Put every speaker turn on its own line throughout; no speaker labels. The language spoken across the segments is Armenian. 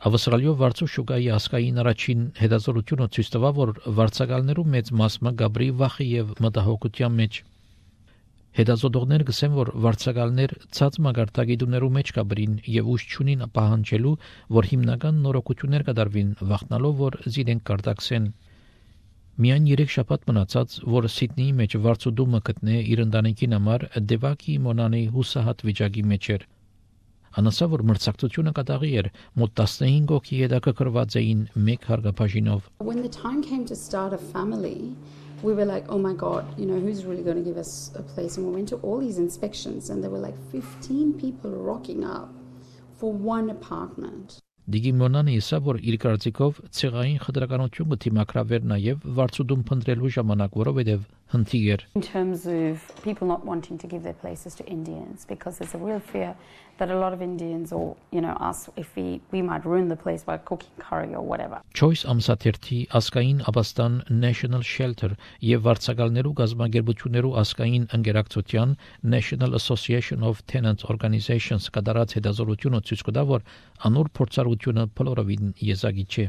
Ավստրալիո վարձու շուկայի ասկային առաջին հետազոտությունը ցույց տվավ, որ վարձակալներու մեծ մասը գաբրի վախի եւ մտահոգության մեջ։ Հետազոտողներ գսեն, որ վարձակալներ ցած մագարտագիտուներու մեջ կաբրին եւ ուժ չունին պահանջելու, որ հիմնական նորոգություններ կդարվին, վախնալով, որ զիրենք կարտակսեն։ Միայն 3 շաբաթ մնացած, որ Սիդնեի մեջ վարձուդումը գտնե իր ընտանիքին համար Դեվակի Մոնանի հուսահատ վիճակի մեջ էր։ Անասա, որ մրցակցությունը կատաղի էր, մոտ 15 հոգի հետաքրքրված էին մեկ հարգապաշինով։
When the time came to start a family, we were like, oh my God, who's really going to give us a place? And we went to all these inspections and there were like 15 people rocking up for one apartment.
Դիգի Մոնանը իսա, որ իր կարծիքով ցեղային խտրականությունը դիմակրավեր նաև վարձուդում փնտրելու ժամանակ, որովհետև հնթիգ էր։
In terms of people not wanting to give their places to Indians, because there's a real fear that a lot of Indians or, us, if we might ruin the place by cooking curry or whatever.
Choice ամսաթերթի ասկային Աբաստան National Shelter եւ վարձակալներու գազագերբություններու ասկային ընկերակցության National Association of Tenant Organizations կդարած հետազոտությունը ցույց կտա, որ անոր փորձառությունը փլորովին եզակի չէ։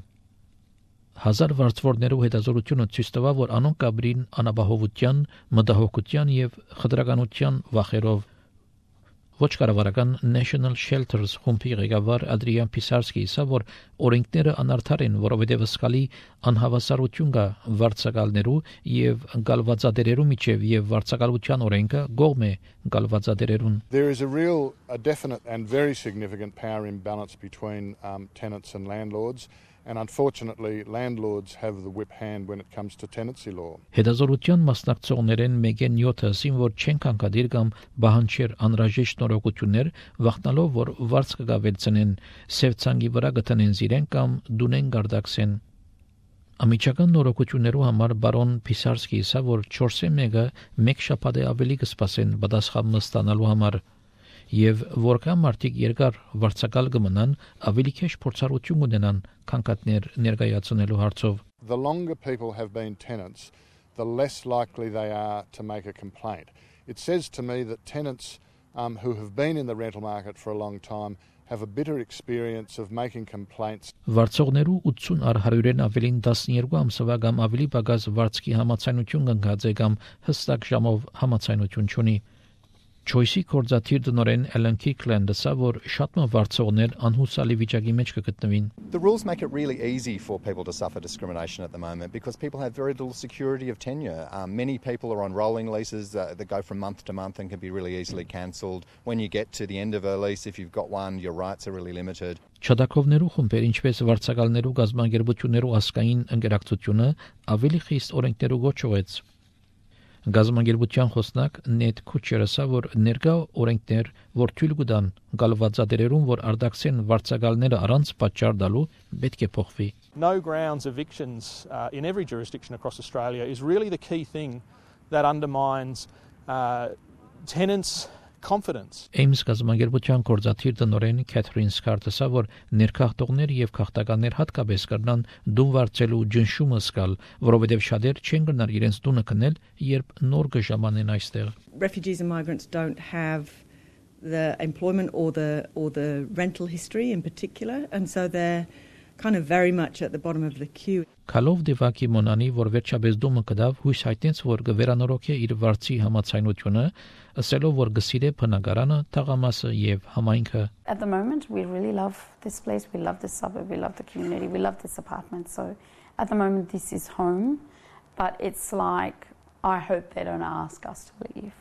1000 վարձվորներու հետազոտությունը ցույց տվավ, որ անոնք կաբրին անապահովության, մտահոգության եւ խտրականության վախերով։ Ոչ կառավարական National Shelters խումբի ղեկավար Ադրիան Պիսարսկի ասա, որ օրենքները անարդար են, որովհետև սկալի անհավասարություն կա վարձակալներու եւ գալվածադերերու միջև եւ վարձակալության օրենքը գողմ է գալվածադերերուն։
There is a definite and very significant power imbalance between tenants and landlords. And unfortunately, landlords have the whip hand when it comes to tenancy law.
Հետազոտության մասնակցողներեն մեգեն 7-ը ասին, որ չեն կանգադիր կամ բանջեր անհրաժեշտ նորոգություններ, վախնալով, որ վարձ կգավելցնեն, սևցանգի վրա գտնեն զիրեն կամ դունեն գարդակսեն։ Ամիջական նորոգություններու համար բարոն Պիսարսկի ասա, որ 4-ը մեկ շաբաթ ավելի կսպասեն պատասխան ստանալու համար։ Եվ որքան մարդիկ երկար վարձակալ կմնան, ավելի քիչ փորձառություն ունենան քանքատներ ներկայացնելու հարցով։
The longer people have been tenants, the less likely they are to make a complaint. It says to me that tenants who have been in the rental market for a long time have a bitter experience of making complaints.
Վարձողներու 80 առ 100-ին ավելին 12 ամսվա կամ ավելի պակաս վարձքի համաձայնություն կնքած է կամ հստակ ժամով համաձայնություն չունի։ Choice-ի կորզաթիր դնորեն Ellen Kirkland ասա, որ շատ վարձողներ անհուսալի վիճակի մեջ կգտնվին։
The rules make it really easy for people to suffer discrimination at the moment because people have very little security of tenure. Many people are on rolling leases that go from month to month and can be really easily cancelled. When you get to the end of a lease, if you've got one, your rights are really limited.
Չադակովներու խումբեր, ինչպես վարձակալներու գազագերբություններու ասկային ընկերակցությունը ավելի խիստ օրենքներու գոչվեց։ Գազագերբության խոսնակ Նեթ Քուչերը ասա, որ ներկա օրենքներ, որ թույլ կտան գալվածադերերուն, որ արդակսեն վարձակալները առանց պատճառ տալու, պետք է փոխվի։
No grounds evictions in every jurisdiction across Australia is really the key thing that undermines tenants' confidence.
Ames գազագերբության կորզաթիր տնօրեն Քեթրին Սկարտը ասա, որ ներքախտողներ եւ քաղաքականներ հատկապես կրնան դուն վարձելու ջնշումը սկալ, որովհետեւ շատեր չեն գնար իրենց տունը կնել, երբ նոր կժամանեն այստեղ։
Refugees and migrants don't have the employment or the rental history in particular, and so they're kind of very much at the bottom of the queue.
Քալով Դեվակի Մոնանի, որ վերջապես դումը կդավ, հույս հայտնեց, որ կվերանորոգի իր վարձի համաձայնությունը, ասելով, որ գսիրե բնակարանը, թաղամասը եւ համայնքը։
At the moment, we really love this place, we love this suburb, we love the community, we love this apartment. So at the moment, this is home, but it's like, I hope they don't ask us to leave.